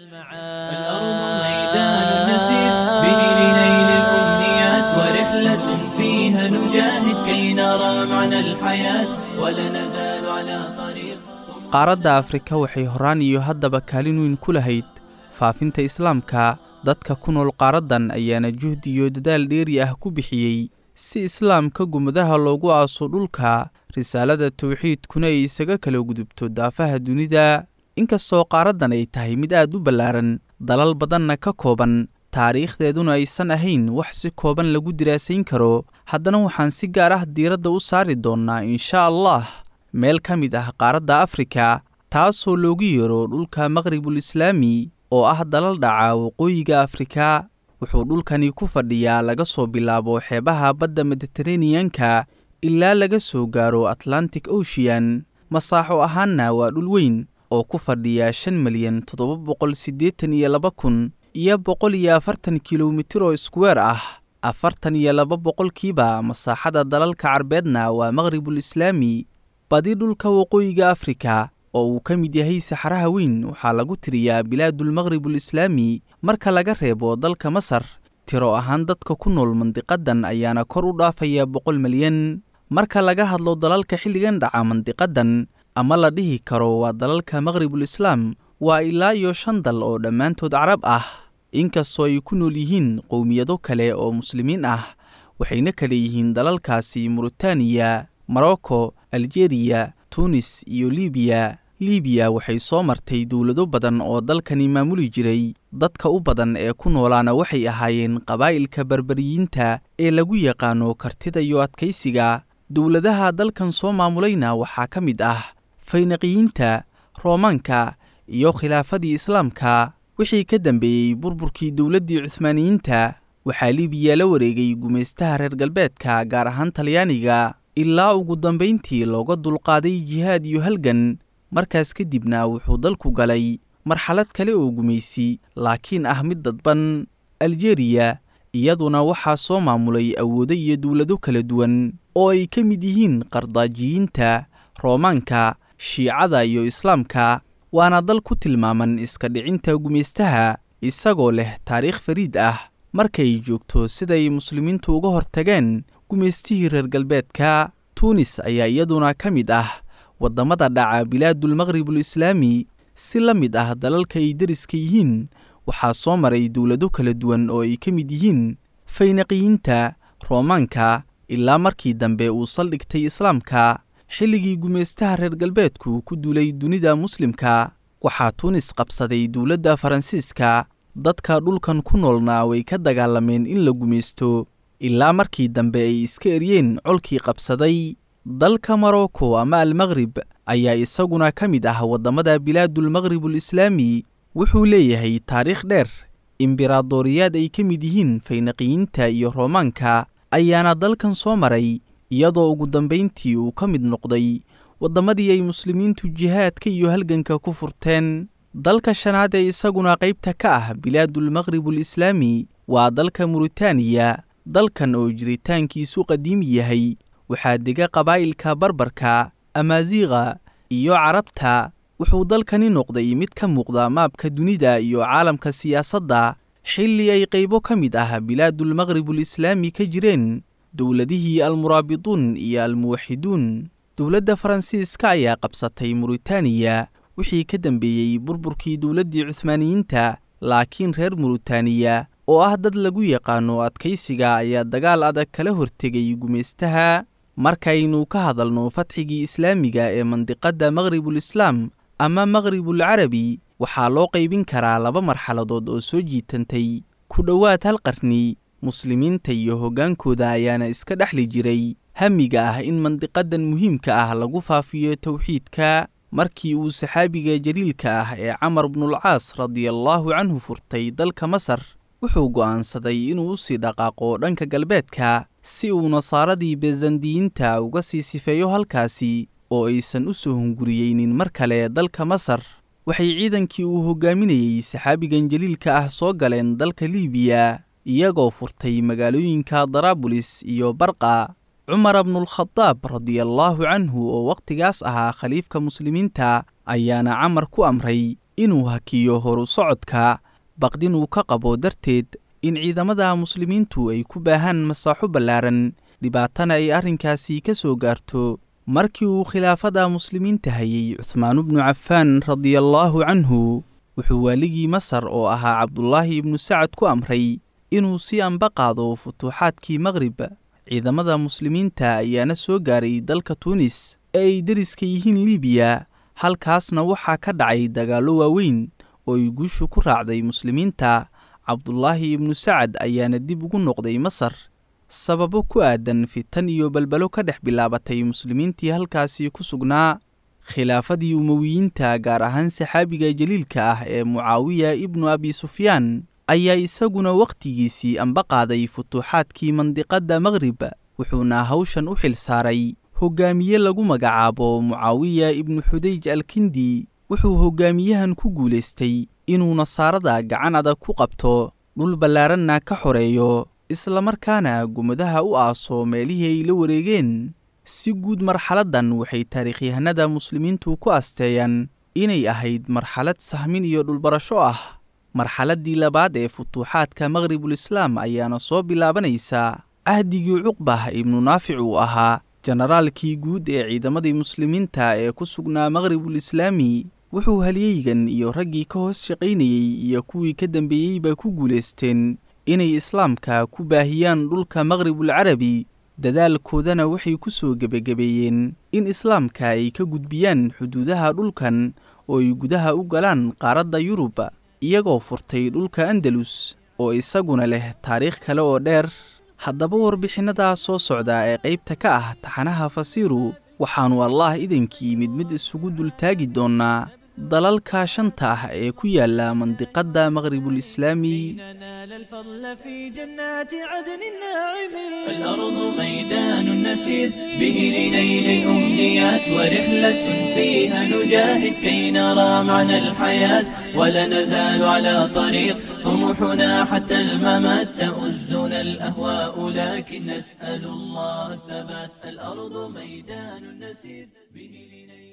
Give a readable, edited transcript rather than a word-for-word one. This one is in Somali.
الأرض ميدان نسير به لنيل الأمنيات ورحلة فيها نجاهد كي نرى معنى الحياة ولا نزال على طريق. Qaaradda Afrika waxay horaan iyo haddaba kaalin weyn ku lahayd faafinta Islaamka. Dadka ku nool qaaraddan ayaana juhdi iyo dadaal dheeri ah ku bixiyey si Islaamka gumadaha loogu aaso dhulka, risaalada tawxiidkuna ay isaga kala gudubto daafaha dunida. Inkastoo qaaraddan ay tahay mid aad u ballaaran, dalal badanna ka kooban, taariikhdeeduna aysan ahayn wax si kooban lagu diraasayn karo, haddana waxaan si gaar ah diiradda u saari doonnaa, insha Allah, meel ka mid ah qaaradda Afrika, taasoo loogu yeero dhulka Maqribul Islaami oo ah dalal dhaca waqooyiga Afrika. Wuxuu dhulkani ku fadhiyaa laga soo bilaabo xeebaha badda Mediteraneanka ilaa laga soo gaaro Atlantic Ocean. Masaaxo ahaanna waa dhul weyn oo ku fadhiya 5,782,140 kilomitir oo iskuweer ah. 42% masaaxada dalalka Carbeedna waa Maqribul Islaami. Badi dhulka waqooyiga Afrika oo uu ka mid yahay Saxaraha Weyn waxaa lagu tiriyaa Bilaadul Maqribul Islaami, marka laga reebo dalka Masar. Tiro ahaan dadka ku nool mandiqadan ayaana kor u dhaafaya 100 milyan. Marka laga hadlo dalalka xilligan dhaca mandiqadan ama la dhihi karo waa dalalka Maqribul Islaam, waa ilaa iyo shan dal oo dhammaantood Carab ah, inkastoo ay ku nool yihiin qowmiyado kale oo Muslimiin ah. Waxayna kale yihiin dalalkaasi Muritaaniya, Morocco, Aljeeriya, Tunis iyo Libiya. Libiya waxay soo martay dowlado badan oo dalkani maamuli jiray. Dadka u badan ee ku noolaana waxay ahaayeen qabaa'ilka Barbariyiinta ee lagu yaqaano kartida iyo adkaysiga. Dowladaha dalkan soo maamulayna waxaa ka mid ah Faynaqiyiinta, Roomaanka iyo khilaafadii Islaamka. Wixii ka dambeeyey burburkii dowladdii Cuhmaaniyiinta, waxaa Libiya la wareegay gumaystaha reer galbeedka, gaar ahaan Talyaaniga, ilaa ugu dambayntii looga dulqaaday jihaad iyo halgan. Markaas kadibna wuxuu dalku galay marxalad kale oo gumaysi, laakiin ah mid dadban. Aljeeriya iyaduna waxaa soo maamulay awoodo iyo dowlado kala duwan oo ay ka mid yihiin Qardaajiyiinta, Roomaanka, Shiicada iyo Islaamka, waana dal ku tilmaaman iska dhicinta gumaystaha, isagoo leh taariikh fariid ah markay joogto siday Muslimiintu uga hortageen gumaystihii reer galbeedka. Tuunis ayaa iyaduna ka mid ah waddamada dhaca Bilaadul Maqribul Islaami. Si la mid ah dalalka ay deriska yihiin, waxaa soo maray dowlado kala duwan oo ay ka mid yihiin Faynaqiyiinta, Roomaanka, ilaa markii dambe uu saldhigtay Islaamka. Xilligii gumaystaha reer galbeedku ku duulay dunida Muslimka, waxaa Tuunis qabsaday dowladda Faransiiska. Dadka dhulkan ku noolna way ka dagaalameen in la gumaysto, ilaa markii dambe ay iska eryeen colkii qabsaday. Dalka Morocco ama Almaqrib ayaa isaguna ka mid ah waddamada Bilaadul Maqribul Islaami. Wuxuu leeyahay taariikh dheer. Imberaadoriyaad ay ka mid yihiin Faynaqiyiinta iyo Roomaanka ayaana dalkan soo maray, iyadoo ugu dambayntii uu ka mid noqday waddamadii ay Muslimiintu jihaadka iyo halganka ku furteen. Dalka shanaad ee isaguna qaybta ka ah Bilaadul Maqribul Islaami waa dalka Muritaaniya. Dalkan oo jiritaankiisu qadiimi yahay waxaa dega qabaa'ilka Barbarka, Amaasiiqa iyo Carabta. Wuxuu dalkani noqday mid ka muuqda maabka dunida iyo caalamka siyaasadda xilli ay qaybo ka mid ah Bilaadul Maqribul Islaami ka jireen dowladihii Almuraabituun iyo Almuwaxiduun. Dowladda Faransiiska ayaa qabsatay Muritaaniya wixii ka dambeeyey burburkii dowladdii Cuhmaaniyiinta, laakiin reer Muritaaniya oo ah dad lagu yaqaano adkaysiga ayaa dagaal adag kala hortegay gumaystaha. Markaynu ka hadalno fatxigii Islaamiga ee mandiqadda Maqribul Islaam ama Maqribul Carabi, waxaa loo qaybin karaa laba marxaladood oo soo jiitantay ku dhowaad hal qarni. Muslimiinta iyo hoggaankooda ayaana iska dhexli jiray hamiga ah in mandiqadan muhiimka ah lagu faafiyo towxiidka. Markii uu saxaabiga jaliilka ah ee Camar bnulcaas radiallaahu canhu furtay dalka Masar, wuxuu go'aansaday inuu u sii dhaqaaqo dhanka galbeedka si uu nasaaradii Bezandiyiinta uga sii sifeeyo halkaasi oo aysan u soo hunguriyeynin mar kale dalka Masar. Waxay ciidankii uu hogaaminayey saxaabigan jaliilka ah soo galeen dalka Liibiya, iyagoo furtay magaalooyinka Daraabulis iyo Barqa. Cumar bnulkhadaab radiallaahu canhu oo wakhtigaas ahaa khaliifka Muslimiinta ayaana Camar ku amray inuu hakiyo horu socodka, baqdin uu ka qabo darteed in ciidamada muslimiintu ay ku baahaan masaaxo ballaaran, dhibaatana ay arrinkaasi ka soo gaarto. Markii uu khilaafada muslimiinta hayay Cuthmaan ibnu Cafaan radiallaahu canhu, wuxuu waaligii Masar oo ahaa Cabdulaahi ibnu Sacad ku amray inuu si anba qaado futuuxaadkii Maqrib. Ciidamada muslimiinta ayaana soo gaaray dalka Tuunis ee ay deriska yihiin Liibiya, halkaasna waxaa ka dhacay dagaallo waaweyn oo ay guushu ku raacday muslimiinta. Cabdulaahi ibnu Sacad ayaana dib ugu noqday Masar sababo ku aadan fitan iyo balbalo ka dhex bilaabatay muslimiintii halkaasi ku sugnaa. Khilaafadii Umowiyiinta, gaar ahaan saxaabiga jaliilka ah ee Mucaawiya ibnu Abi Sufyaan, ayaa isaguna wakhtigiisii anba qaaday futuuxaadkii mandiqadda Maqrib, wuxuuna hawshan u xil saaray hoggaamiye lagu magacaabo Mucaawiya ibnu Xudayj Alkindi. Wuxuu hoggaamiyahan ku guulaystay inuu nasaarada gacan adag ku qabto, dhul ballaaranna ka xoreeyo, islamarkaana gumadaha u aaso meelihii ay la wareegeen. Si guud marxaladdan waxay taariikhyahanada muslimiintu ku asteeyaan inay ahayd marxalad sahmin iyo dhulbarasho ah. Marxaladdii labaad ee futuuxaadka Maqribul Islaam ayaana soo bilaabanaysaa cahdigii Cuqbah ibnu Naafic uu ahaa jenaraalkii guud ee ciidamadii muslimiinta ee ku sugnaa Maqribul Islaami. Wuxuu halyeygan iyo raggii ka hoos shaqaynayey iyo kuwii ka dambeeyeyba ku guulaysteen inay islaamka ku baahiyaan dhulka Maqribul Carabi. Dadaalkoodana waxay ku soo gebagabeeyeen in islaamka ay ka gudbiyaan xuduudaha dhulkan oo ay gudaha u galaan qaaradda Yurub, iyagoo furtay dhulka Andalus oo isaguna leh taariikh kale oo dheer. Haddaba warbixinnadaa soo socda ee qaybta ka ah taxanaha Fasiiru, waxaannu Allaah idankii mid mid isugu dultaagi doonnaa dalalka shanta ah ee ku yaala mandiqadda Maqribul Islaami. ننال الفضل في جنات عدن الناعمين. الأرض ميدان نسير به لنيل الأمنيات، ورحلة فيها نجاهد كي نرى معنى الحياة، ولا نزال على طريق طموحنا حتى الممات. تؤزنا الأهواء لكن نسأل الله الثبات. الأرض ميدان نسير به لنيل